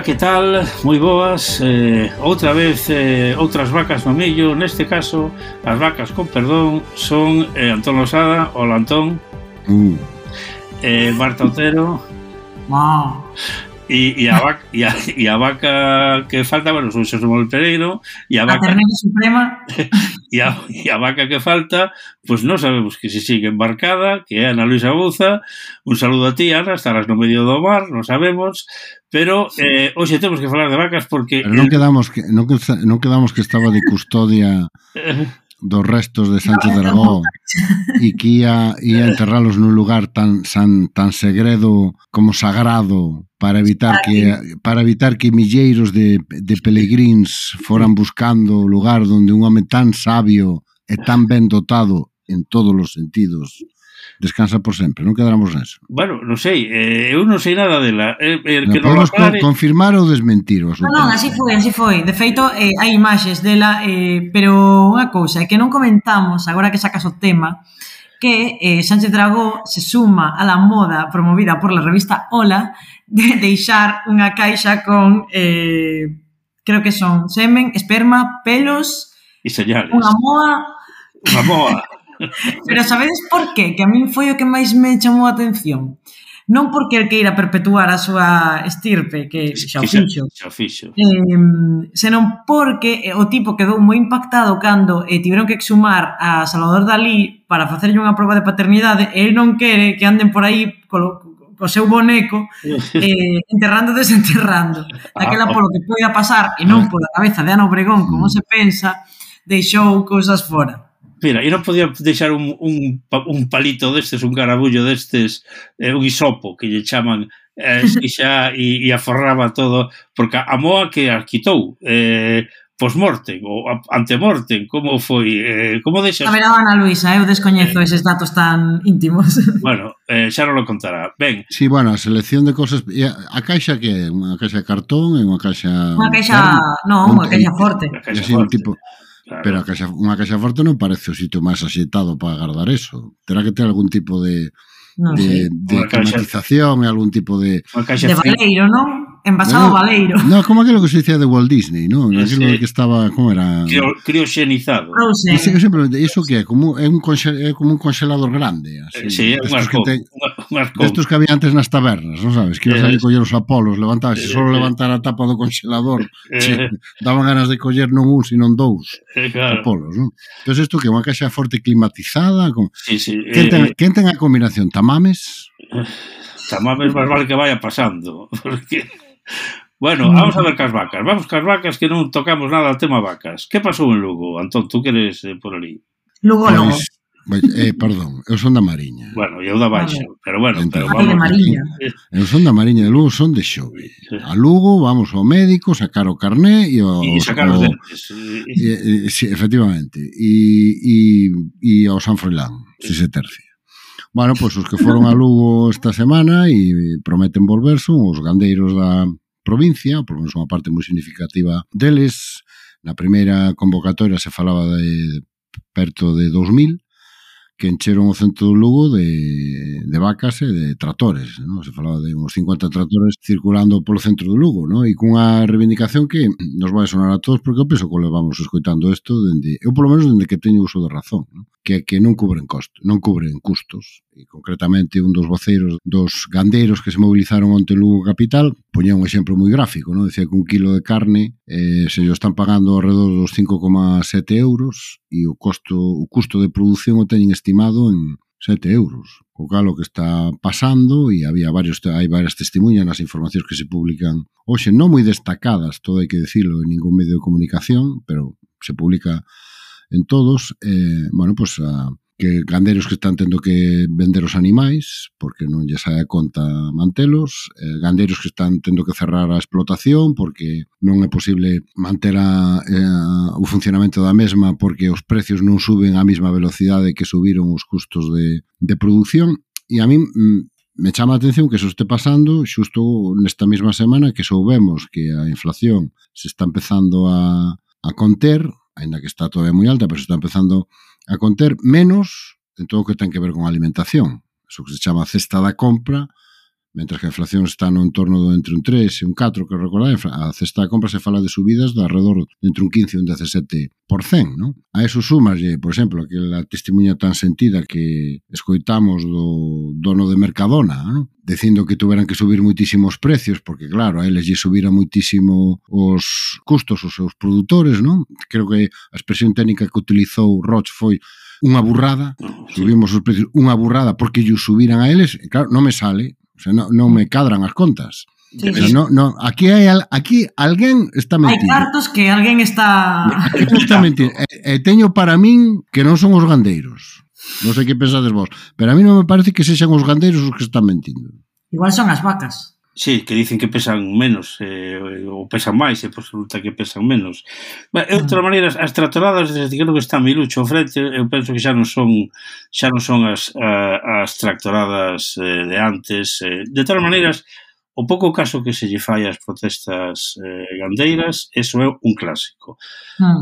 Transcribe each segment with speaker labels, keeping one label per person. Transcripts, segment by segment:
Speaker 1: que tal? Moi boas. Outra vez, outras vacas no millo. Neste caso, as vacas con perdón son Antón Losada. Hola, Antón. Marta Otero. E a vaca que falta, bueno, son Xosé Manuel Pereiro. E a vaca
Speaker 2: Ternera Suprema.
Speaker 1: E a vaca que falta, pois non sabemos que se sigue embarcada, que é Ana Luisa Bouza. Un saludo a ti, Ana, estarás no medio do mar, non sabemos, pero hoxe temos que falar de vacas porque...
Speaker 3: Pero non quedamos que estaba de custodia dos restos de Sánchez Dragó e que ia enterralos nun lugar tan segredo como sagrado para evitar que milleiros de peregrins foran buscando o lugar onde un home tan sabio e tan ben dotado en todos os sentidos descansa por sempre. Non quedamos neso.
Speaker 1: Bueno, non sei, eu non sei nada dela.
Speaker 3: Podemos confirmar ou desmentir o asunto?
Speaker 2: Non, así foi. De feito, hai imaxes dela, pero unha cousa, é que non comentamos, agora que sacas o tema, que Sánchez Dragó se suma a la moda promovida por la revista Hola de deixar unha caixa con, creo que son semen, esperma, pelos...
Speaker 1: E señales.
Speaker 2: Unha moa...
Speaker 1: Unha moa.
Speaker 2: Pero sabedes por qué? Que a min foi o que máis me chamou a atención. Non porque el queira perpetuar a súa estirpe, que xa o fixo. Senón porque o tipo quedou moi impactado cando tiveron que exhumar a Salvador Dalí para facerlle unha proba de paternidade e el non quere que anden por aí co seu boneco enterrando e desenterrando. Daquela polo que poida pasar e non pola cabeza de Ana Obregón, como se pensa, deixou cousas fora.
Speaker 1: Mira, e non podía deixar un palito destes, un carabullo destes, un hisopo, que lle chaman, e aforraba todo, porque a moa que a quitou, post-mortem, ou ante-mortem, como foi? Como deixas...
Speaker 2: A ver, Ana Luisa, eu descoñezo eses datos tan íntimos.
Speaker 1: Bueno, xa non lo contará. Ben.
Speaker 3: Sí, bueno, a selección de cosas... A caixa que é? Unha caixa de cartón? Unha caixa...
Speaker 2: Unha caixa... Non, unha caixa forte.
Speaker 1: Unha caixa forte.
Speaker 3: Claro. Pero unha caixa forte non parece o sitio máis axeitado para guardar eso. Terá que ter algún tipo de climatización e algún tipo de...
Speaker 2: De valeiro, non? Envasado valeiro.
Speaker 3: Non, como aquilo que se dicía de Walt Disney, non? Aquilo que estaba... Como era?
Speaker 1: Crioxenizado.
Speaker 3: Iso que é? Como un congelador grande. Así,
Speaker 1: sí, un arco.
Speaker 3: Destos que había antes nas tabernas, non sabes? Que ibas a coller os apolos, levantar, se só levantar a tapa do congelador, daban ganas de coller non un, sino dous apolos, non? Entón, isto que é unha caixa forte climatizada?
Speaker 1: Sí.
Speaker 3: Quen ten a combinación? Tamames?
Speaker 1: Tamames máis vale que vaya pasando, porque... Bueno, vamos a ver cas vacas. Vamos cas vacas que non tocamos nada ao tema vacas. Que pasou en Lugo, Antón? Tú que eres por ali?
Speaker 2: Lugo.
Speaker 3: Perdón, eu son da Mariña.
Speaker 1: Bueno, eu da Baixa, pero bueno,
Speaker 2: vamos. De Mariña.
Speaker 3: Eu son da Mariña, de Lugo son de Xove. A Lugo vamos ao médico, sacar o carné e
Speaker 1: sacar os dentes.
Speaker 3: Sí, efectivamente. E ao San Froilán, se se tercia. Bueno, pois os que foron a Lugo esta semana e prometen volver son os gandeiros da provincia, por menos unha parte moi significativa deles. Na primeira convocatoria se falaba de perto de 2000 que encheron o centro do Lugo de vacas e de tractores, non? Se falaba de uns 50 tractores circulando polo centro do Lugo, non? E cunha reivindicación que nos vai sonar a todos, porque eu penso que levamos escoitando isto eu polo menos dende que teño uso de razón, non? Que non cubren custos. E concretamente un dos voceiros dos gandeiros que se movilizaron onte en Lugo capital poñía un exemplo moi gráfico, non? Decía que un kilo de carne se lo están pagando alrededor dos 5,7 euros e o custo de produción o teñen estimado en 7 euros. O cal o que está pasando, e hai varias testemunhas nas informacións que se publican hoxe, non moi destacadas, todo hai que decirlo, en ningún medio de comunicación, pero se publica en todos, bueno, pues que gandeiros que están tendo que vender os animais porque non lle sae a conta mantelos, gandeiros que están tendo que cerrar a explotación porque non é posible manter o funcionamento da mesma porque os precios non suben á mesma velocidade que subiron os custos de produción. E a min me chama a atención que eso este pasando xusto nesta mesma semana que soubemos que a inflación se está empezando a conter, ainda que está todavía moi alta, pero se está empezando a conter menos en todo o que ten que ver con alimentación. Eso que se chama cesta da compra, Mentras que a inflación está no entorno do entre un 3 e un 4, que recordar, a cesta de compra se fala de subidas de alrededor entre un 15 e un 17%, non? A eso sumaslle, por exemplo, aquela testemunha tan sentida que escoitamos do dono de Mercadona, non? Dicindo que tuveran que subir moitísimos precios, porque claro, a eles lle subira moitísimo os custos os seus produtores, non? Creo que a expresión técnica que utilizou Roch foi unha burrada, subimos os precios, unha burrada porque lle subiran a eles, e claro, non me sale. O sea, non me cadran as contas.
Speaker 2: Sí,
Speaker 3: o sea, no, aquí alguén está mentindo.
Speaker 2: Hai cartos que alguén está
Speaker 3: mentindo. Teño para min que non son os gandeiros. Non sei que pensades vos, pero a mí non me parece que sexan os gandeiros os que están mentindo.
Speaker 2: Igual son as vacas.
Speaker 1: Sí, que dicen que pesan menos ou pesan máis e resulta que pesan menos. De outra maneira, as tractoradas desde que está Milucho ao frente, eu penso que xa non son as tractoradas de antes. De todas maneiras, o pouco caso que se lle fai ás protestas gandeiras, eso é un clásico.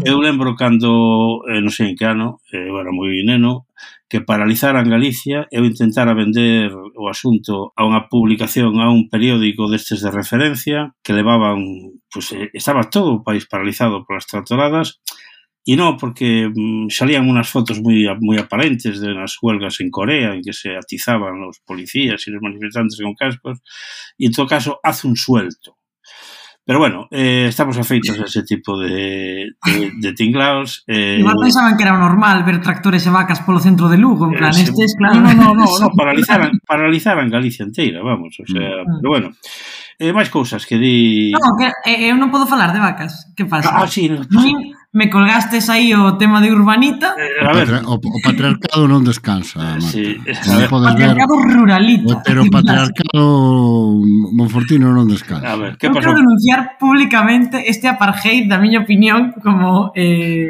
Speaker 1: Eu lembro cando, non sei en que ano, eu era moi neno, que paralizaran Galicia, eu intentara vender o asunto a unha publicación, a un periódico destes de referencia, que levaban, pues, estaba todo o país paralizado polas tractoradas, e non, porque salían unas fotos moi aparentes de nas huelgas en Corea, en que se atizaban os policías e os manifestantes con cascos, e en todo caso, hace un suelto. Pero bueno, estamos afeitos a ese tipo de tinglaos.
Speaker 2: Igual pensaban que era normal ver tractores e vacas polo centro de Lugo, en plan, estes, claro.
Speaker 1: No, paralizaran Galicia inteira, vamos, o sea, pero bueno. Máis cousas que di...
Speaker 2: Non, que eu non podo falar de vacas, que pasa?
Speaker 1: Sí, no.
Speaker 2: Me colgastes aí o tema de Urbanita.
Speaker 3: O patriarcado non descansa, Marta.
Speaker 1: Sí,
Speaker 3: o
Speaker 2: patriarcado ruralito.
Speaker 3: Pero o patriarcado monfortino non descansa.
Speaker 1: A ver, que
Speaker 2: pasou? Eu quero denunciar públicamente este apartheid, da miña opinión, como...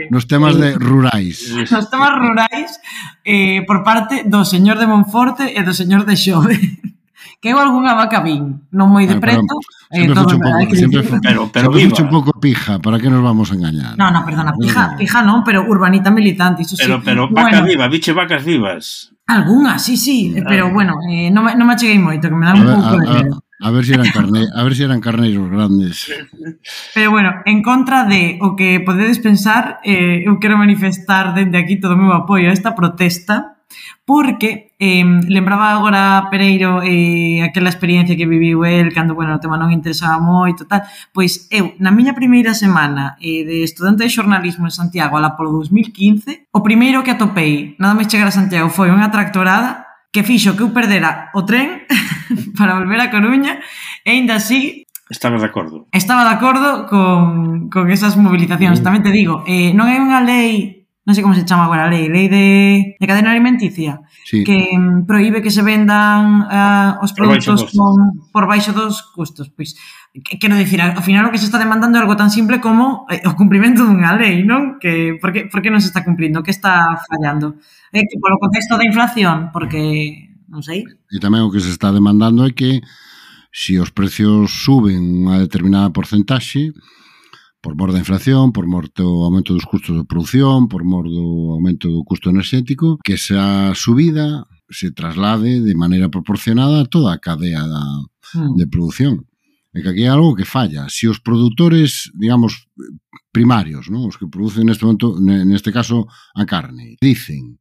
Speaker 3: nos temas de rurais.
Speaker 2: Nos temas rurais, por parte do señor de Monforte e do señor de Xove. Que eu algunha vaca vin, non moi de preto.
Speaker 3: Pero viva. Un pouco pija, para que nos vamos a engañar?
Speaker 2: No, perdona, pija non, pero urbanita militante, iso sí.
Speaker 1: Pero vaca viva, biche vacas vivas.
Speaker 2: Algunhas, sí, pero bueno, non me acheguei moito, que me dan un pouco de medo.
Speaker 3: A ver se eran carneiros grandes.
Speaker 2: Pero bueno, en contra de o que podedes pensar, eu quero manifestar dende aquí todo o meu apoio a esta protesta, porque lembraba agora Pereiro aquela experiencia que viviu el cando, bueno, o tema non interesaba moito, tal. Pois eu, na miña primeira semana de estudante de xornalismo en Santiago, alá polo 2015, o primeiro que atopei, nada máis chegar a Santiago, foi unha tractorada que fixo que eu perdera o tren para volver a Coruña, e aínda así...
Speaker 1: Estaba de acordo
Speaker 2: con esas movilizacións. Tamén te digo, non hai unha lei... Non sei como se chama agora a lei de cadena alimenticia, sí, que proíbe que se vendan os produtos por baixo dos custos. Pois, quero dicir, ao final o que se está demandando é algo tan simple como o cumprimento dunha lei, non? Que por que non se está cumprindo? Que está fallando? Que polo contexto da inflación, porque, non sei.
Speaker 3: E tamén o que se está demandando é que se os precios suben unha determinada porcentaxe, por mor da inflación, por mor do aumento dos custos de produción, por mor do aumento do custo enerxético, que esa subida se traslade de maneira proporcionada a toda a cadea de produción. É que aquí é algo que falla. Se os produtores, digamos, primarios, ¿no? Os que producen neste momento, neste caso, a carne, dicen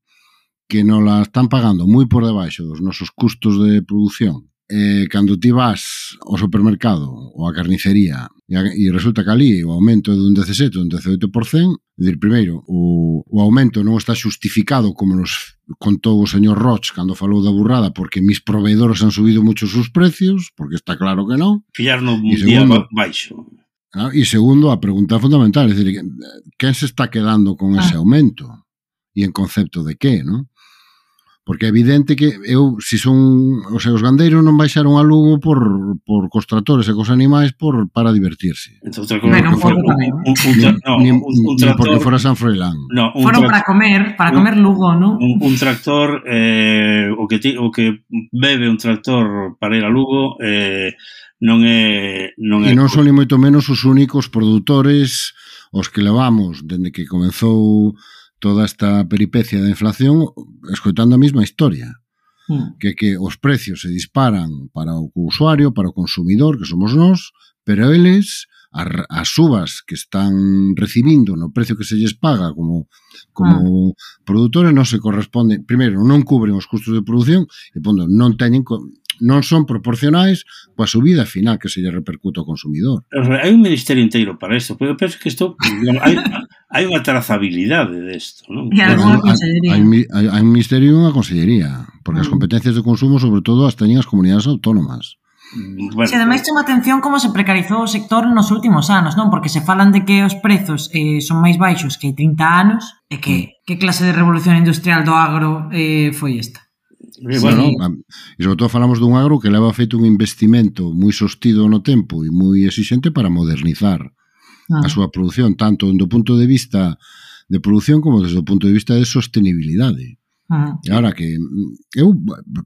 Speaker 3: que non la están pagando moi por debaixo dos nosos custos de produción, cando ti vas ao supermercado ou a carnicería e resulta que ali o aumento é dun 17 ou un 18%, dir, primeiro, o aumento non está xustificado como nos contou o señor Roch cando falou da burrada, porque mis proveedores han subido mucho sus precios, porque está claro que non.
Speaker 1: Fillaron un día baixo.
Speaker 3: E segundo, a pregunta fundamental, é dicir, quen se está quedando con ese aumento? E en concepto de que, non? Porque é evidente que se son, o sea, os gandeiros non baixaron a Lugo por cos tractores e cos animais para divertirse.
Speaker 1: Entón,
Speaker 2: un
Speaker 3: tractor, porque fora San Froilán.
Speaker 2: No, foron para comer Lugo, non?
Speaker 1: Un tractor, o que bebe un tractor para ir a Lugo, non é...
Speaker 3: E non son ni moito menos os únicos produtores os que levamos, dende que comezou toda esta peripecia da inflación, escoitando a mesma historia. que os precios se disparan para o usuario, para o consumidor, que somos nós, pero eles, as subas que están recibindo no precio que se lles paga como produtores non se corresponden, primeiro, non cubren os custos de produción e, pondo, non son proporcionais coa subida final que se lle repercute ao consumidor.
Speaker 1: Hai un ministerio inteiro para isto, pero eu penso que isto hai unha trazabilidade desto, non?
Speaker 2: E algunha consellería.
Speaker 3: Hai un ministerio e unha consellería, porque as competencias de consumo, sobre todo, as teñen as comunidades autónomas.
Speaker 2: Bueno, se ademais chama atención como se precarizou o sector nos últimos anos, non? Porque se falan de que os prezos son máis baixos que hai 30 anos, e que clase de revolución industrial do agro foi esta?
Speaker 3: Bueno, e sobre todo falamos dun agro que leva feito un investimento moi sostido no tempo e moi exixente para modernizar a súa produción, tanto do punto de vista de produción como desde o punto de vista de sostenibilidade. E agora que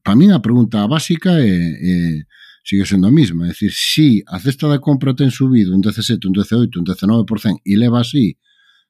Speaker 3: para mí a pregunta básica sigue sendo a mesma, é dicir, si a cesta da compra ten subido un 17, un 18, un 19% e leva así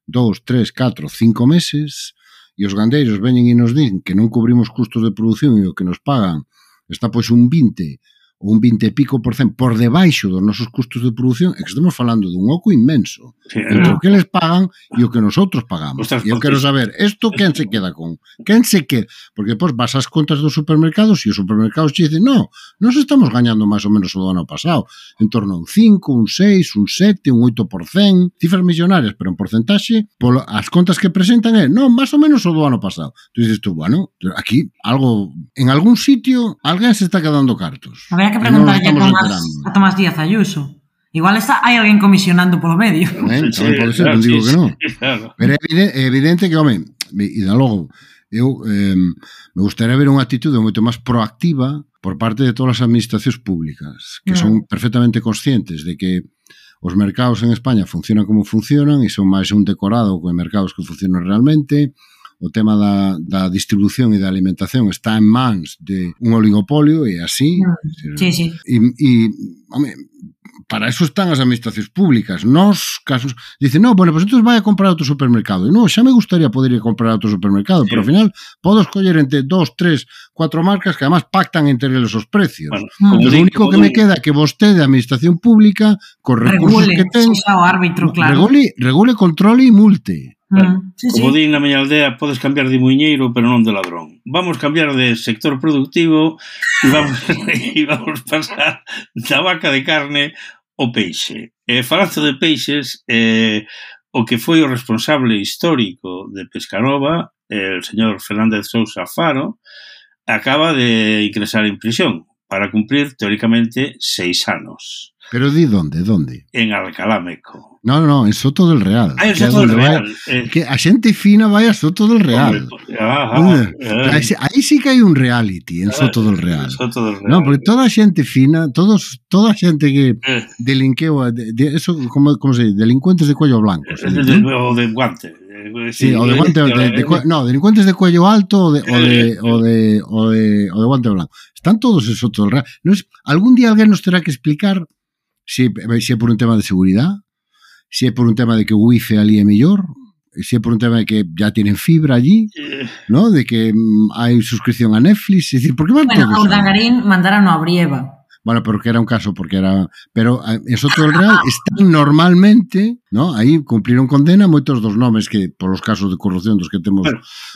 Speaker 3: 2, 3, 4, 5 meses e os gandeiros veñen e nos din que non cubrimos custos de produción e o que nos pagan está pois un 20 ou un 20 e pico por cento por debaixo dos nosos custos de produción, é que estamos falando dun oco inmenso entre o que eles pagan e o que nosotros pagamos. E eu quero saber, isto quen se queda con? Quen se queda? Porque depois vas ás contas dos supermercados e os supermercados te dicen, nos estamos gañando máis ou menos o do ano pasado, en torno a un 5, un 6, un 7, un 8%, cifras millonarias, pero en porcentaxe, as contas que presentan máis ou menos o do ano pasado. Tú dices tú, bueno, aquí algo, en algún sitio, alguén se está quedando cartos.
Speaker 2: Habría que preguntarlle a Tomás Díaz Ayuso. Igual hai alguén comisionando polo medio.
Speaker 3: Tamén pode ser, non digo que non. Pero é evidente que, home, e da logo, eu me gustaría ver unha actitude moito máis proactiva por parte de todas as administracións públicas, que son perfectamente conscientes de que os mercados en España funcionan como funcionan e son máis un decorado con mercados que funcionan realmente. O tema da distribución e da alimentación está en mans de un oligopolio e así.
Speaker 2: Sí.
Speaker 3: E home, para eso están as administracións públicas. Nos casos, dicen, pues entonces vai a comprar outro supermercado. E xa me gustaría poder ir a comprar outro supermercado, pero ao final podo escoller entre 2, 3, 4 marcas que además pactan entre eles os precios. Bueno, o único que me queda é que vostede, a administración pública, cos recursos que ten, regule, controle e multe.
Speaker 1: Como din na miña aldea, podes cambiar de muiñeiro, pero non de ladrón. Vamos cambiar de sector productivo e vamos pasar da vaca de carne ao peixe. Falando de peixes, o que foi o responsable histórico de Pescanova, el señor Fernández Sousa Faro, acaba de ingresar en prisión para cumplir, teóricamente, 6 anos.
Speaker 3: Pero di onde?
Speaker 1: En Alcalá Meco.
Speaker 3: No, en Soto del Real.
Speaker 1: En Soto del Real.
Speaker 3: Que a xente fina vai a Soto del Real. Aí sí que hai un reality en Soto del Real. Non, porque toda a xente fina, toda a xente que delinqueu, eso, como se dice, delincuentes de cuello blanco.
Speaker 1: O de guante.
Speaker 3: Sí, o de guante, delincuentes de cuello alto o de guante blanco. Están todos en Soto del Real. Algún día alguén nos terá que explicar se é por un tema de seguridade, se é por un tema de que o wifi ali é mellor, se é por un tema de que ya tienen fibra allí, ¿no? De que hai suscripción a Netflix, es decir, ¿por qué van todos?
Speaker 2: Bueno, a Urdangarín mandaron a Brieva.
Speaker 3: Bueno, pero que era un caso, porque era... Pero en Soto del Real están normalmente, ¿no? Aí cumpliron condena moitos dos nomes que, por os casos de corrupción dos que temos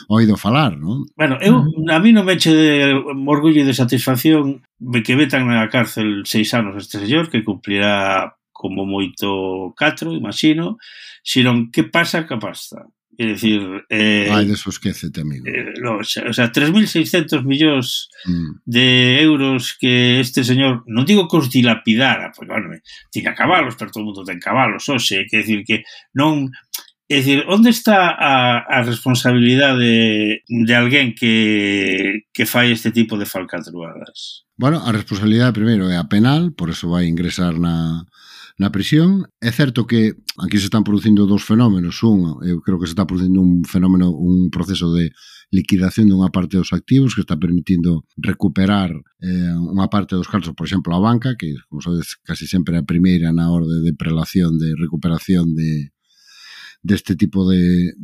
Speaker 3: oído falar, ¿no?
Speaker 1: Bueno, a mí non me eche de orgullo e de satisfacción que vetan na cárcel 6 anos este señor, que cumplirá como moito 4, imagino, senón que pasa ca pasta. É dicir...
Speaker 3: Ai, deso esquécete, amigo.
Speaker 1: O sea, 3.600 millóns de euros que este señor, non digo que os dilapidara, porque, bueno, tiña cabalos, pero todo o mundo ten cabalos, hoxe, quer dicir que non... É dicir, onde está a responsabilidade de alguén que fai este tipo de falcatruadas?
Speaker 3: Bueno, a responsabilidade, primeiro, é a penal, por eso vai ingresar na prisión. É certo que aquí se están producindo dos fenómenos. Eu creo que se está producindo un fenómeno, un proceso de liquidación dunha parte dos activos que está permitindo recuperar unha parte dos cartos, por exemplo, a banca, que, como sabedes, casi sempre é a primeira na orde de prelación, de recuperación deste tipo de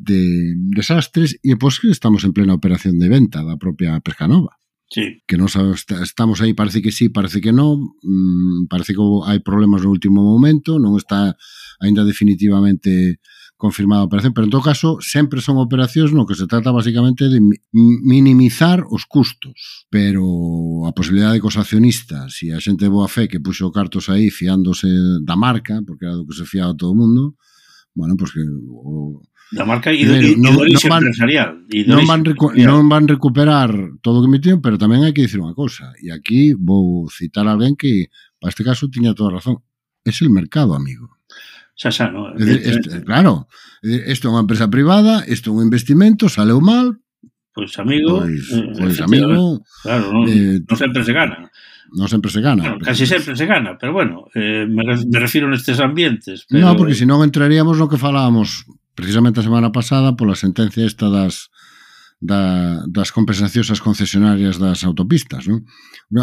Speaker 3: desastres, e pois que estamos en plena operación de venta da propia Pescanova.
Speaker 1: Sí.
Speaker 3: Que non sabemos, estamos aí, parece que sí, parece que non, parece que hai problemas no último momento, non está aínda definitivamente confirmada a operación, pero en todo caso sempre son operacións no que se trata basicamente de minimizar os custos, pero a posibilidade de que os accionistas e a xente de boa fe que puxo cartos aí fiándose da marca, porque era do que se fiaba todo o mundo, bueno, pues que
Speaker 1: da marca e do orixe empresarial.
Speaker 3: Non van recuperar todo o que metiron, pero tamén hai que dicir unha cousa, e aquí vou citar a alguén que, para este caso, tiña toda razón. Es el mercado, amigo.
Speaker 1: Xa, non?
Speaker 3: Claro, isto é unha empresa privada, isto é un investimento, saleu mal,
Speaker 1: pois amigo,
Speaker 3: amigo,
Speaker 1: claro, non sempre se gana.
Speaker 3: Non sempre se gana.
Speaker 1: Bueno, casi sempre se gana, pero bueno, me refiro nestes ambientes. Pero...
Speaker 3: Non, porque senón entraríamos no que falábamos precisamente a semana pasada pola sentencia esta das compensacións ás concesionarias das autopistas, non?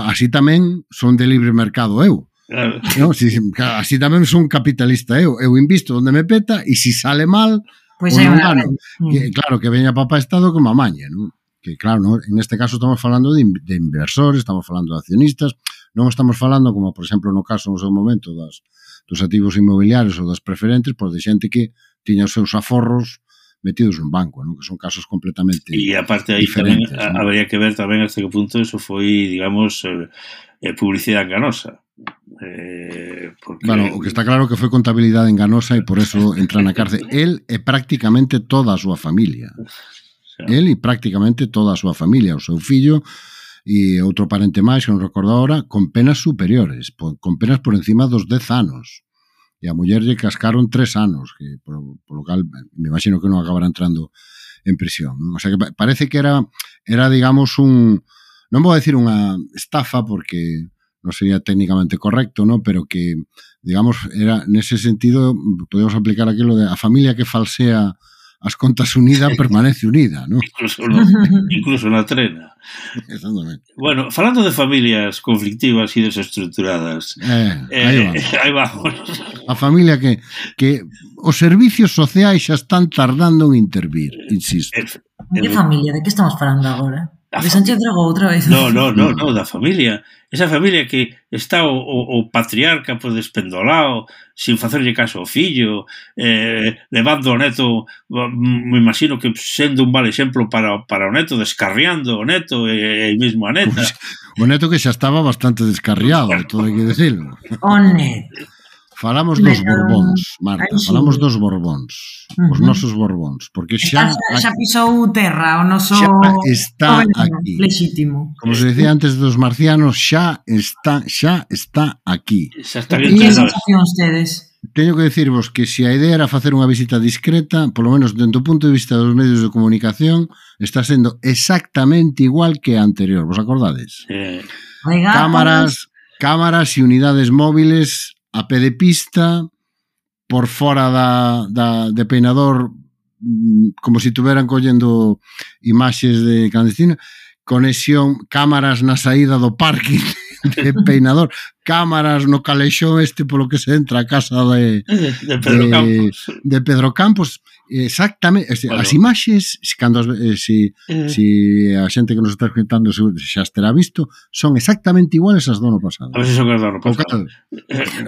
Speaker 3: Así tamén son de libre mercado eu.
Speaker 1: Claro.
Speaker 3: No, así tamén son capitalista eu invisto onde me peta e se sale mal,
Speaker 2: pois hai unha
Speaker 3: claro, que veña papá Estado que me amañe, non? Que claro, ¿no? En este caso estamos falando de inversores, estamos falando de accionistas, non estamos falando, como por exemplo no caso no seu momento dos activos inmobiliarios ou das preferentes, por de xente que tiña os seus aforros metidos nun banco, ¿no? Que son casos completamente diferentes.
Speaker 1: E aparte aí tamén habría que ver tamén hasta que punto eso foi, digamos, publicidade enganosa.
Speaker 3: Porque... Bueno, o que está claro que foi contabilidade enganosa e por eso entra na cárcel. El e prácticamente toda a súa familia. El e prácticamente toda a súa familia, o seu fillo e outro parente máis, que non recordo agora, con penas superiores, con penas por encima dos 10 anos. E a muller lle cascaron 3 anos, que por lo cal me imagino que non acabará entrando en prisión. O sea que parece que era digamos, non vou decir unha estafa, porque non sería técnicamente correcto, ¿no? Pero que, digamos, era nese sentido, podemos aplicar aquilo de a familia que falsea as contas unidas permanece unida, ¿no?
Speaker 1: Incluso na trena.
Speaker 3: Exactamente.
Speaker 1: Bueno, falando de familias conflictivas e desestructuradas, aí vamos.
Speaker 3: A familia que os servicios sociais xa están tardando en intervir, insisto.
Speaker 2: Que familia? De que estamos falando agora? De Sánchez Dragó outra vez.
Speaker 1: No, da familia. Esa familia que está o patriarca pues, despendolado, sin facerlle caso ao fillo, levando o neto, me imagino que sendo un mal exemplo para o neto, descarriando o neto e mesmo a neta.
Speaker 3: Pues, o neto que xa estaba bastante descarriado, todo hai que decirlo.
Speaker 2: O neto.
Speaker 3: Falamos dos Borbóns, Marta, falamos dos Borbóns, os nosos Borbóns, porque xa
Speaker 2: pisou terra, o noso
Speaker 3: está aquí.
Speaker 2: Legítimo.
Speaker 3: Como se decía antes dos marcianos, xa está aquí.
Speaker 2: E que sensación ustedes?
Speaker 3: Teño que decirvos que se a idea era facer unha visita discreta, polo menos dentro do punto de vista dos medios de comunicación, está sendo exactamente igual que a anterior, vos acordades? Cámaras e unidades móviles a pé de pista, por fora de peinador, como se tuveran collendo imaxes de clandestino, conexión, cámaras na saída do parking de peinador, cámaras no calexón polo que se entra a casa de Pedro Campos. Exactamente, bueno. As imaxes, cando se a xente que nos está escutando xa estará visto, son exactamente iguales as do ano pasado.
Speaker 1: A ver se son as do ano pasado.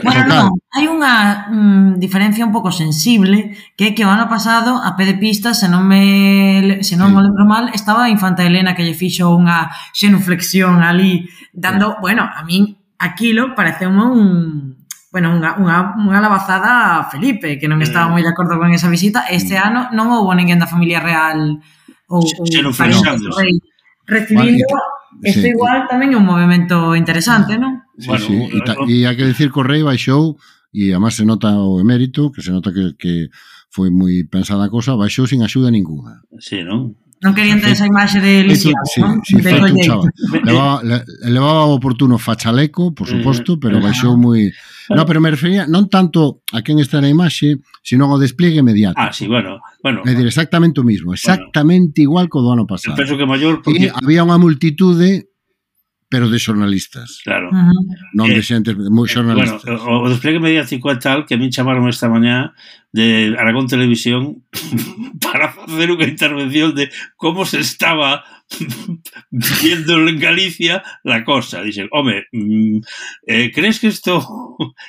Speaker 2: Bueno, hai unha diferencia un pouco sensible, que é que o ano pasado a pé de pista, se non o lembro mal, estaba a Infanta Elena que lle fixo unha xenuflexión ali, dando, bueno, a min aquilo pareceume unha labazada a Felipe, que non estaba moi de acordo con esa visita. Este ano non houbo ninguén da familia real ou recibindo. Isto igual tamén é un movimento interesante, non?
Speaker 3: Sí. E hai que decir que o Rei baixou, e además se nota o emérito, que se nota que foi moi pensada a cosa, baixou sin axuda ninguna.
Speaker 1: Sí, non?
Speaker 2: Non querían ter esa imaxe de lisiado, non?
Speaker 3: Sí, levaba o oportuno fachaleco, por suposto, pero baixou moi... No, pero me refería non tanto a quen está na imaxe, sino ao despliegue mediático.
Speaker 1: Ah, sí, bueno.
Speaker 3: É dicir, exactamente o mismo, exactamente igual que o do ano pasado.
Speaker 1: Penso que maior porque...
Speaker 3: E había unha multitude pero de xornalistas.
Speaker 1: Claro.
Speaker 3: Non de xentes moi xornalistas.
Speaker 1: Bueno, o despliegue mediático é tal que a min chamaron esta mañá de Aragón Televisión para facer unha intervención de como se estaba viendo en Galicia la cosa. Dixen, home, crees que isto...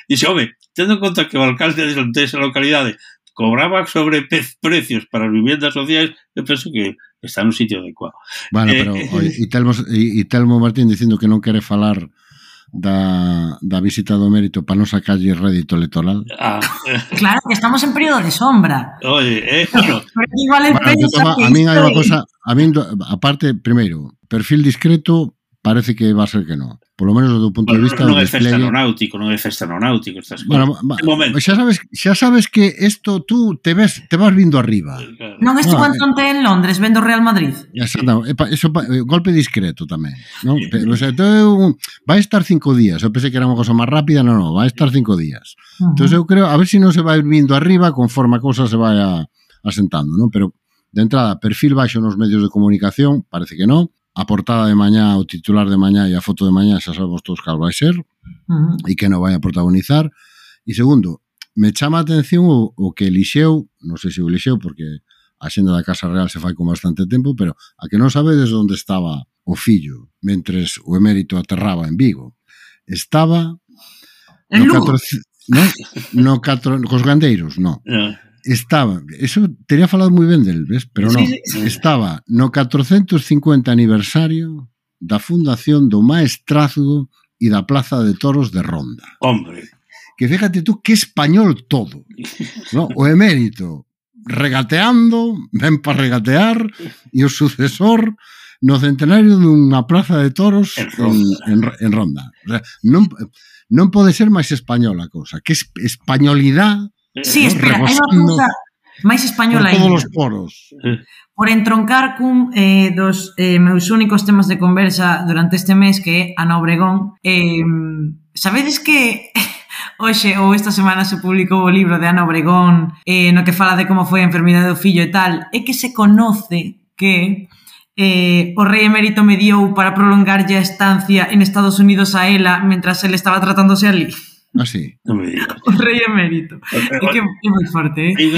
Speaker 1: Dixe, home, tendo en conta que o alcalde de esa localidade cobraba sobre precios para as viviendas sociais, eu penso que está nun sitio adecuado.
Speaker 3: Bueno, pero e Telmo Martín dicindo que non quere falar da visita do Emérito para non sacarlle rédito electoral.
Speaker 2: Claro, que estamos en período de sombra.
Speaker 1: Oye, bueno.
Speaker 2: Igual
Speaker 3: a min hai unha cosa, aparte, primeiro, perfil discreto, parece que va a ser que non. Por lo menos do punto de vista
Speaker 1: non é festa no náutico, estas
Speaker 3: cosas. Xa sabes que isto tú te vas vindo arriba.
Speaker 2: Non estuvo entonces en Londres vendo Real Madrid.
Speaker 3: Eso golpe discreto tamén, non? O sea, vai estar 5 días. Eu pensei que era unha cosa máis rápida, non, vai estar 5 días. Entonces eu creo, a ver se non se vai vindo arriba conforme a cousa se vai asentando, non? Pero de entrada, perfil baixo nos medios de comunicación, parece que non. A portada de mañá, o titular de mañá e a foto de mañá xa sabemos todos cal vai ser e que non vai a protagonizar. E segundo, me chama a atención o que elixeu, non sei se o elixeu porque a xenda da Casa Real se fai con bastante tempo, pero a que non sabedes onde estaba o fillo mentres o Emérito aterraba en Vigo. Estaba
Speaker 2: en Lugo.
Speaker 3: Cos gandeiros, non. Estaba, eso teria falado moi ben del, ves? Pero non, estaba no 450 aniversario da fundación do Maestrazgo e da Plaza de Toros de Ronda.
Speaker 1: Hombre.
Speaker 3: Que fíjate tú que español todo, ¿no? O Emérito regateando, ven para regatear, e o sucesor no centenario dunha Plaza de Toros en Ronda. O sea, non pode ser máis española a cousa, que españolidade.
Speaker 2: Sí, espera, hai unha cousa máis española
Speaker 3: por todos os poros.
Speaker 2: Por entroncar cun dos meus únicos temas de conversa durante este mes, que é Ana Obregón. Sabedes que hoxe ou esta semana se publicou o libro de Ana Obregón no que fala de como foi a enfermidade do fillo e tal, é que se conoce que o rei emérito mediou para prolongarlle a estancia en Estados Unidos a ela mentras ele estaba tratándose ali.
Speaker 3: Así.
Speaker 1: Non me digas.
Speaker 2: O rei emérito. É que é moi forte,
Speaker 3: E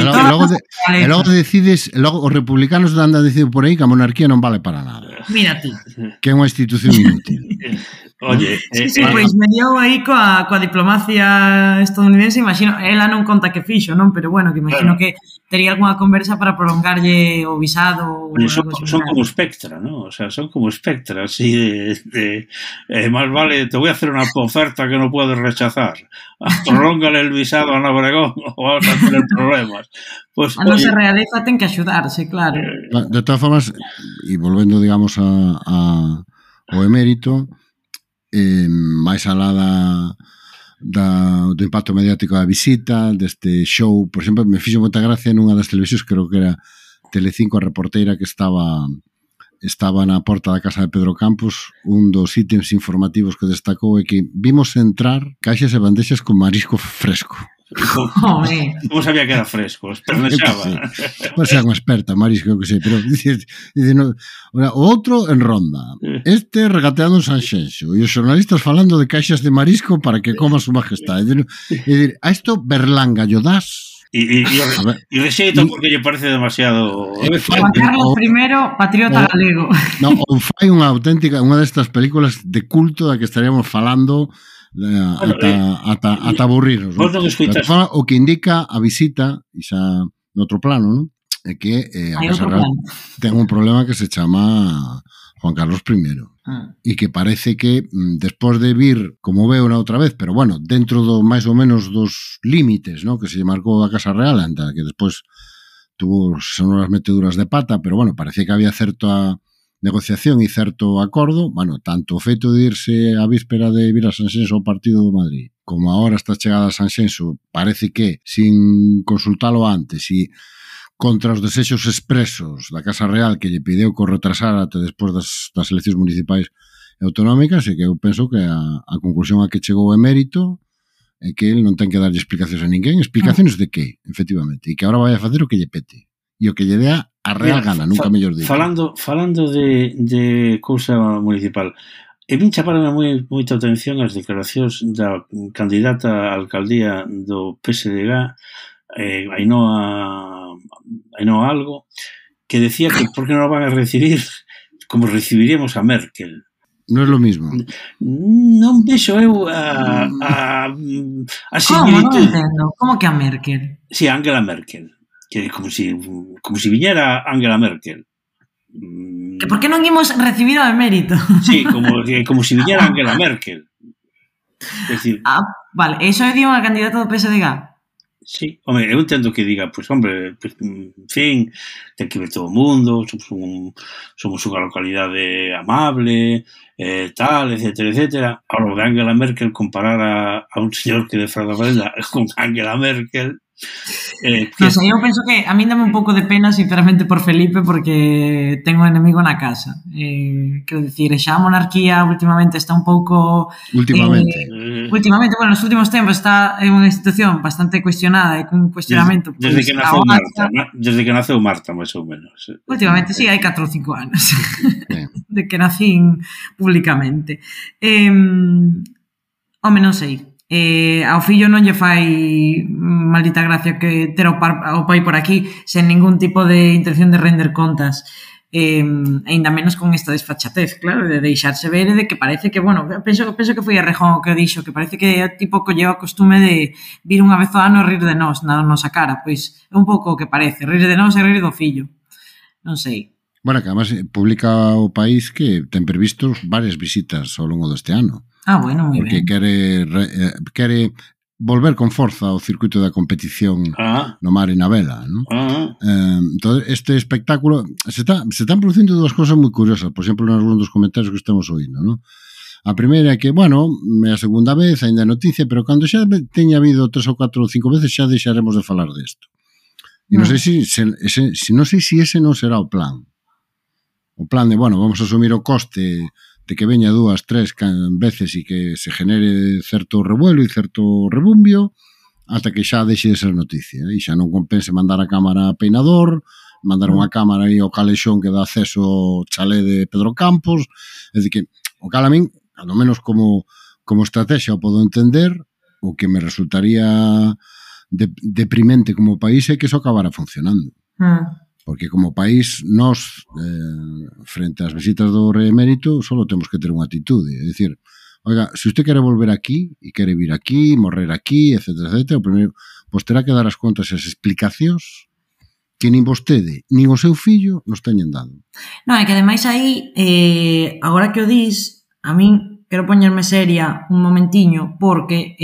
Speaker 3: logo decides, logo os republicanos andan dicindo por aí que a monarquía non vale para nada.
Speaker 2: Mira ti.
Speaker 3: Que é unha institución inútil.
Speaker 1: Oye,
Speaker 2: sí, pois mediou aí coa diplomacia estadounidense, imagino, ela non conta que fixo, non? Pero bueno, que imagino que tería algunha conversa para prolongarlle o visado.
Speaker 1: Son como Spectra, ¿no? O sea, son como Spectra, así de más vale, te voy a hacer una oferta que no puedes rechazar. Prolóngale el visado a Ana Obregón o vamos a tener problemas. Pues,
Speaker 2: a non se realiza ten que axudarse, claro.
Speaker 3: De todas formas, e volvendo, digamos, ao emérito, máis alá do impacto mediático da visita, deste show, por exemplo, me fixo moita gracia nunha das televisións, creo que era Telecinco, a reporteira que estaba na porta da casa de Pedro Campos. Un dos ítems informativos que destacou é que vimos entrar caixas e bandexas con marisco fresco.
Speaker 1: Como sabía que era fresco? Espernexaba.
Speaker 3: Pois é unha experta, marisco, que sei, pero o outro en Ronda, este regateando en Sanxenxo e os xornalistas falando de caixas de marisco para que coma su majestade. E a isto Berlanga yo das.
Speaker 1: Y rexeito porque lle parece demasiado...
Speaker 2: Juan Carlos I, patriota galego.
Speaker 3: No, ou fai unha auténtica, unha destas películas de culto da que estaríamos falando ata aburrirnos. O que indica a visita, e xa noutro plano, non? É que a Casa Real ten un problema que se chama Juan Carlos I. E que parece que despois de vir, como veo na outra vez, pero bueno, dentro do máis ou menos dos límites, ¿no?, que se marcou a Casa Real, anda, que despois tuvo sonoras meteduras de pata, pero bueno, parecía que había certa negociación e certo acordo. Bueno, tanto o feito de irse a víspera de vir a Sanxenxo ao partido do Madrid, como agora esta chegada a Sanxenxo, parece que, sin consultalo antes e contra os desexos expresos da Casa Real, que lle pideu que o retrasara até despois das eleccións municipais e autonómicas, e que eu penso que a conclusión a que chegou o emérito é que ele non ten que darlle explicacións a ninguén. Explicacións de que, efectivamente, e que agora vai a facer o que lle pete e o que lle dea a real gana, nunca mellor digo.
Speaker 1: Falando de cousa municipal, E vin chamarme moita atención as declaracións da candidata á alcaldía do PSDG, Ainhoa Algo, que decía que por que non van a recibir como recibiríamos a Merkel.
Speaker 3: Non é lo mismo.
Speaker 1: Non vexo eu a similitud.
Speaker 2: Como? Non entendo. Como que a Merkel?
Speaker 1: Si, Angela Merkel. Que como si viñera Angela Merkel.
Speaker 2: Que por que non imos recibir o emérito?
Speaker 1: Sí, como si viñera Angela Merkel. É dicir...
Speaker 2: Vale, eso é unha candidata do PSDG?
Speaker 1: Sí, home, eu entendo que diga, pois, hombre, en fin, ten que ver todo o mundo, somos unha localidade amable, tal, etcétera. Ahora, de Angela Merkel, comparar a un señor que defrauda con Angela Merkel...
Speaker 2: Non sei, eu penso que a mí dame un pouco de pena, sinceramente, por Felipe, porque ten un enemigo na casa. Quero dicir, xa a monarquía últimamente está un pouco...
Speaker 3: Últimamente,
Speaker 2: bueno, nos últimos tempos está en unha institución bastante cuestionada e cun cuestionamento...
Speaker 1: Desde que naceu Marta, máis ou menos.
Speaker 2: Últimamente, sí, hai 4 ou 5 anos de que nacín públicamente. Home, non sei. Ao fillo non lle fai maldita gracia que ter o pai por aquí sen ningún tipo de intención de render contas, ainda menos con esta desfachatez, claro, de deixarse ver e de que parece que, bueno, penso que foi Errejón o que dixo, que parece que o tipo colleu a costume de vir unha vez ao ano e rir de nós na nosa cara, pois é un pouco o que parece, rir de nós e rir do fillo, non sei.
Speaker 3: Bueno, que además publica o país que ten previstos varias visitas ao longo deste ano.
Speaker 2: Bueno, moi
Speaker 3: porque
Speaker 2: ben.
Speaker 3: Porque quere volver con forza ao circuito da competición no mar e na vela, non? Entón, este espectáculo se están producindo dúas cosas moi curiosas, por exemplo, nos dos comentarios que estamos oindo, non? A primeira é que, bueno, é a segunda vez, ainda é noticia, pero cando xa teña habido 3 ou 4 ou 5 veces xa deixaremos de falar desto. E non sei se ese non será o plan. O plan de, bueno, vamos a asumir o coste de que veña 2, 3 veces e que se genere certo revuelo e certo rebumbio hasta que xa deixe de ser noticia e xa non compense mandar a cámara a Peinador, mandar unha cámara aí ao calexón que dá acceso ao chalé de Pedro Campos, é dicir que o cal a min, ao menos como estrategia o podo entender, o que me resultaría deprimente como país é que iso acabara funcionando. Porque como país, nós, frente ás visitas do rei emérito, só temos que ter unha atitude. É dicir, oiga, se usted quere volver aquí, e quere vir aquí, morrer aquí, etcétera, o primeiro, pois terá que dar as contas e as explicacións que nin vostede, nin o seu fillo nos teñen dado.
Speaker 2: Non, é que ademais aí, agora que o dis, a min quero poñerme seria un momentiño, porque...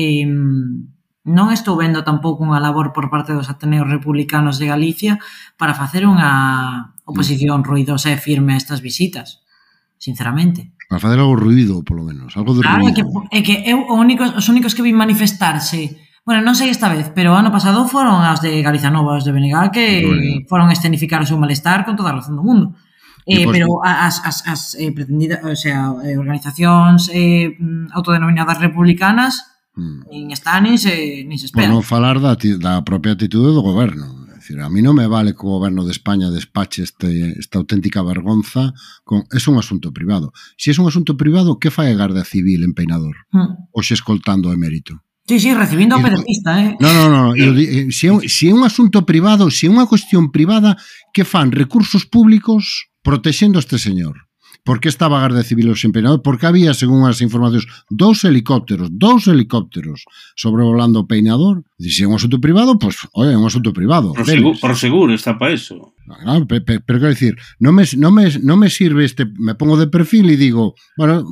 Speaker 2: non estou vendo tampouco unha labor por parte dos Ateneos Republicanos de Galicia para facer unha oposición ruidosa e firme a estas visitas, sinceramente.
Speaker 3: Para facer algo ruido, polo menos, algo de ruido.
Speaker 2: É que os únicos que vi manifestarse, bueno, non sei esta vez, pero o ano pasado foron as de Galiza Nova, os de BNG, que foron escenificar o seu malestar con toda a razón do mundo. Pero as pretendidas, o sea, organizacións autodenominadas republicanas nin está, nin se espera.
Speaker 3: Por non falar da propia atitude do goberno. É dicir, a mí non me vale que o goberno de España despache esta auténtica vergonza es un asunto privado. Se es un asunto privado, que fai a Garda Civil en Peinador? Oxe escoltando o emérito?
Speaker 2: Sí, recibindo o pedetista,
Speaker 3: Non. Se é un asunto privado, se é unha cuestión privada, que fan recursos públicos protexendo a este señor? Por que estaba a Garda Civil en Peinador? Porque había, según as informacións, 2 helicópteros sobrevolando o Peinador. Se é un asunto privado, pois, é un asunto privado.
Speaker 1: Por seguro está para eso.
Speaker 3: Pero quero dicir, non me sirve me pongo de perfil e digo, bueno,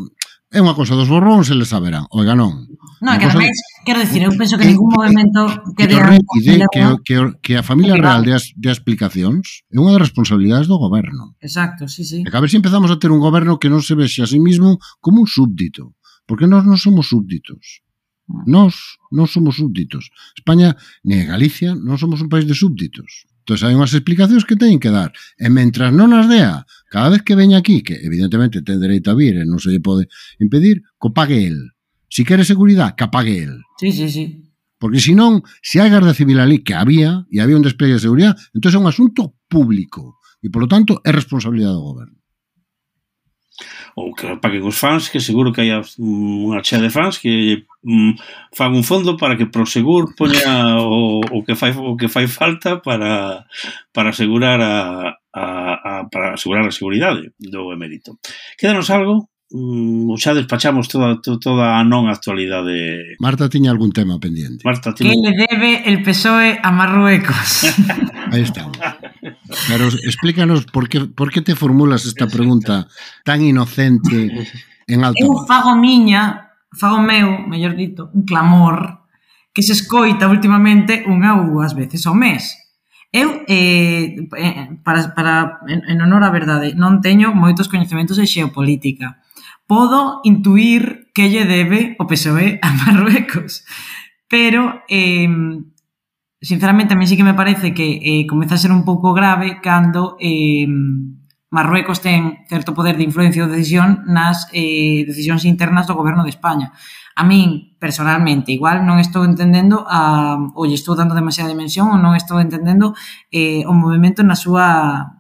Speaker 3: é unha cosa dos borróns e les saberán. Oiga, non.
Speaker 2: Non, que ademais, quero dicir, eu penso que ningún movimento
Speaker 3: que a familia real de explicacións é unha das responsabilidades do goberno.
Speaker 2: Exacto, sí.
Speaker 3: E que a ver se empezamos a ter un goberno que non se vexe a sí mismo como un súbdito, porque nós non somos súbditos. Nós non somos súbditos. España, nem Galicia, non somos un país de súbditos. Entón, hai unhas explicacións que teñen que dar. E mentras non as dea, cada vez que veña aquí, que evidentemente ten dereito a vir e non se lle pode impedir, que o pague el. Si quere seguridade, que apague el.
Speaker 2: Sí.
Speaker 3: Porque senón, se hai Garda Civil ali, que había, e había un despegue de seguridade, entón é un asunto público. E, polo tanto, é responsabilidade do goberno.
Speaker 1: ou que paguen os fans, que seguro que hai unha chea de fans que fan un fondo para que Prosegur poña o que fai falta para asegurar para asegurar a seguridade do emérito. Quédanos algo? Xa despachamos toda a non actualidade.
Speaker 3: Marta tiña algún tema pendiente.
Speaker 2: Que le debe el PSOE a Marruecos?
Speaker 3: Aí estamos. Pero explícanos por que te formulas esta pregunta tan inocente en alto.
Speaker 2: Eu fago meu, mellor dito, un clamor que se escoita últimamente unha ou dúas veces ao mes. Eu, en honor á verdade, non teño moitos coñecementos de xeopolítica. Podo intuir que lle debe o PSOE a Marruecos, pero sinceramente a mí sí que me parece que comeza a ser un pouco grave cando Marruecos ten certo poder de influencia ou decisión nas decisións internas do goberno de España. A min, personalmente, igual non estou entendendo ou lle estou dando demasiada dimensión ou non estou entendendo o movimento na súa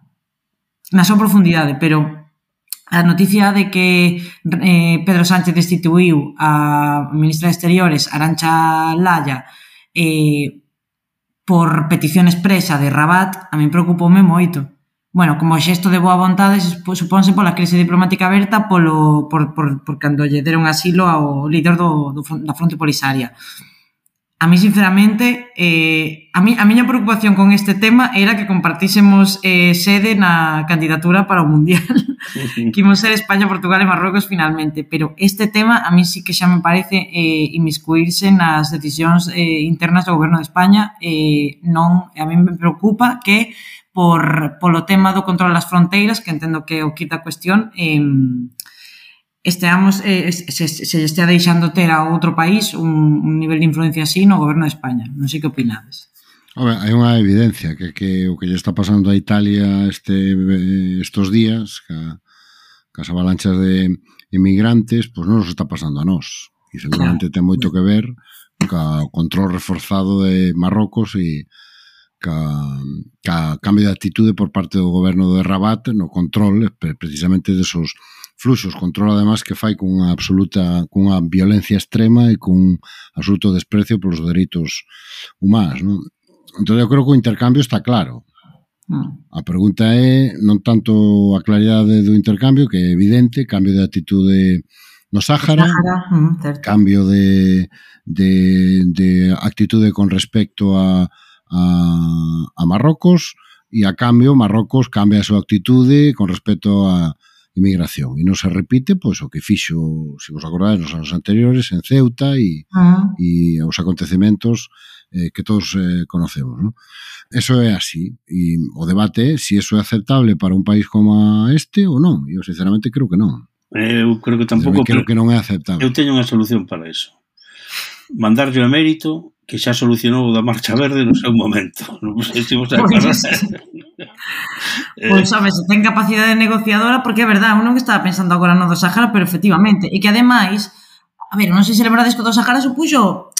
Speaker 2: profundidade, pero a noticia de que Pedro Sánchez destituiu a ministra de Exteriores, Arantxa Laya, por petición expresa de Rabat, a min preocupoume moito. Bueno, como xesto de boa vontade, supónse pola crise diplomática aberta por cando lle deron asilo ao líder da Fronte Polisaria. A mí, sinceramente, a miña preocupación con este tema era que compartísemos sede na candidatura para o Mundial. Que imos ser España, Portugal e Marruecos finalmente. Pero este tema a mí sí que xa me parece inmiscuirse nas decisións internas do goberno de España. A mí me preocupa que polo tema do control das fronteiras, que entendo que o quita a cuestión, se estea deixando ter a outro país un nivel de influencia así no goberno de España. Non sei que opinades.
Speaker 3: Hai unha evidencia que o que lle está pasando a Italia estos días, cas avalanchas de inmigrantes, pois non nos está pasando a nós. E seguramente ten moito que ver co control reforzado de Marrocos e ca cambio de actitude por parte do goberno de Rabat no control precisamente desos fluxos, control además que fai cunha violencia extrema e cun absoluto desprecio polos dereitos humanos, non? Entón eu creo que o intercambio está claro. A pregunta é non tanto a claridade do intercambio, que é evidente, cambio de actitude no Sáhara, cambio de actitude con respecto a Marrocos, e a cambio Marrocos cambia a súa actitude con respecto a inmigración, e non se repite pois o que fixo, se vos acordades, nos anos anteriores en Ceuta e os acontecementos que todos conocemos, non? Eso é así, e o debate é se eso é aceptable para un país como este ou non. Eu sinceramente creo que non.
Speaker 1: Eu creo que tampouco,
Speaker 3: creo que non é aceptable.
Speaker 1: Eu teño unha solución para eso. Mandarlle o emérito que xa solucionou da Marcha Verde no seu momento. Non sei se vos acordas.
Speaker 2: Pois, sabes, ten capacidade negociadora, porque é verdade, eu non estaba pensando agora no do Sáhara, pero efectivamente, e que ademais, a ver, non sei se lembrades que o do Sáhara supuxo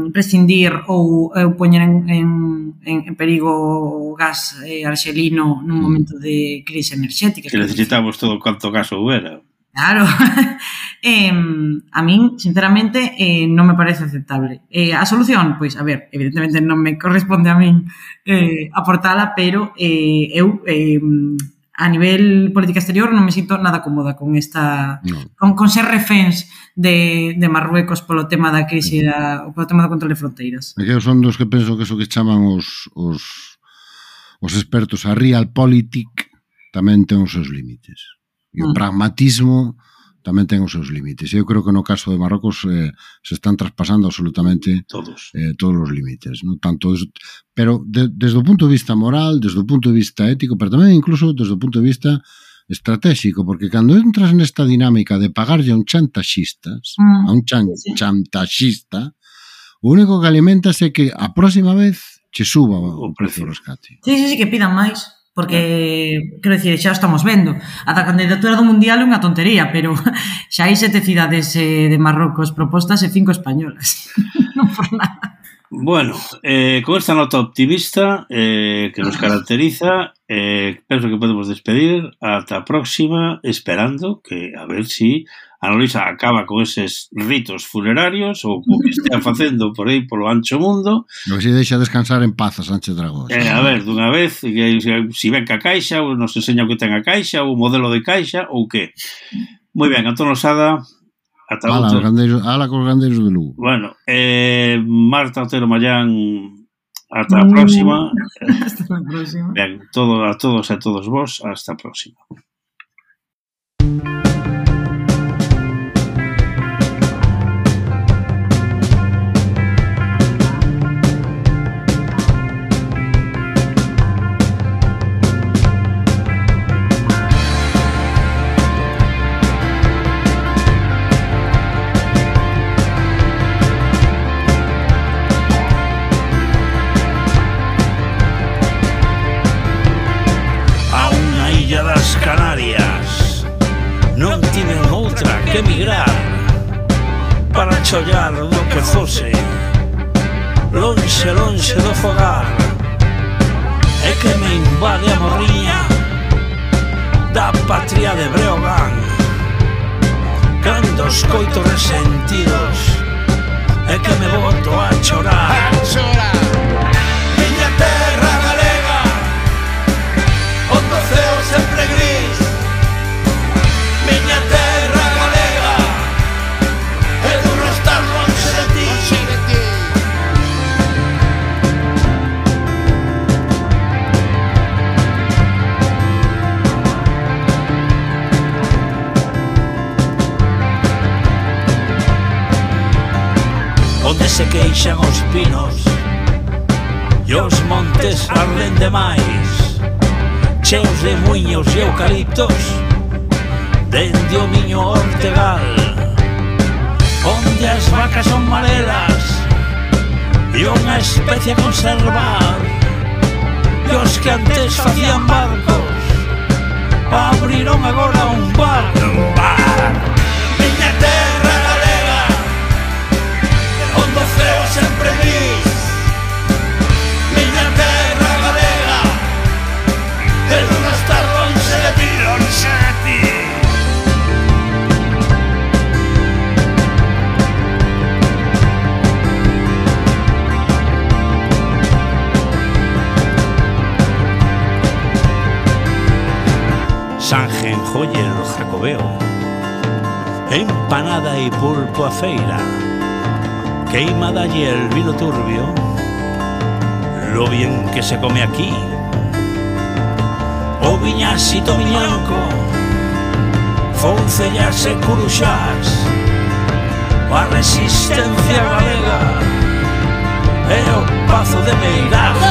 Speaker 2: prescindir ou poñer en perigo o gas arxelino nun momento de crise enerxética.
Speaker 1: Que necesitamos todo cuanto gas houbera.
Speaker 2: Claro. A min, sinceramente, non me parece aceptable. A solución, pois, a ver, evidentemente non me corresponde a min aportala, pero eu a nivel política exterior non me sinto nada cómoda con esta con ser reféns de Marruecos polo tema da crise polo tema do control de fronteiras.
Speaker 3: Que son dos que penso que eso que chaman os expertos a realpolitik tamén ten os seus límites. E o pragmatismo tamén ten os seus límites. Eu creo que no caso de Marrocos se están traspasando absolutamente todos os límites, ¿no? Tanto pero desde o punto de vista moral, desde o punto de vista ético, pero tamén incluso desde o punto de vista estratégico, porque cando entras nesta dinámica de pagarlle a un chantaxista, o único que alimentas é que a próxima vez che suba o precio do rescate.
Speaker 2: Sí, que pidan máis. Porque, quero dicir, xa o estamos vendo. A da candidatura do Mundial é unha tontería, pero xa hai 7 cidades de Marrocos propostas e 5 españolas. Non por nada.
Speaker 1: Bueno, con esta nota optimista que nos caracteriza, penso que podemos despedir ata a próxima, esperando que a ver si Ana Luisa acaba con eses ritos funerarios ou o que estea facendo por aí polo ancho mundo.
Speaker 3: A ver se deixa descansar en paz a Sánchez Dragós.
Speaker 1: A ver, dunha vez, si ven que a caixa, ou nos enseña o que ten a caixa, ou o modelo de caixa, ou que. Moi ben, Antón Losada, ata outra.
Speaker 3: Ala cos gandeiros de Lugo.
Speaker 1: Bueno, Marta Otero Mallán, ata a próxima.
Speaker 2: Hasta a próxima.
Speaker 1: Ben, a todos e a todos vos, hasta a próxima. Canarias non tiven outra que emigrar para chollar do que fose lonxe, lonxe do fogar, e que me invade a morriña da patria de Breogán cando escoito resentidos e que me boto a chorar. Miña terra galega onde o ceo sempre gris, miña terra galega é duro estar lonxe de ti. Onde se queixan os pinos e os montes arden demais, cheos de muiños e eucaliptos dende o miño Ortegal, onde as vacas son marelas e unha especie a conservar, e os que antes facían barcos abriron agora un bar. Miña terra galega onde o ceo sempre gris, miña terra galega é duro estar lonxe de ti, lonxe de ti. Sanjen, joyer, jacobeo, empanada y pulpo a feira, queimada y el vino turbio, lo bien que se come aquí. O viñasito viñanco, foncellas e curuxás, a resistencia galega e o pazo de Meirás.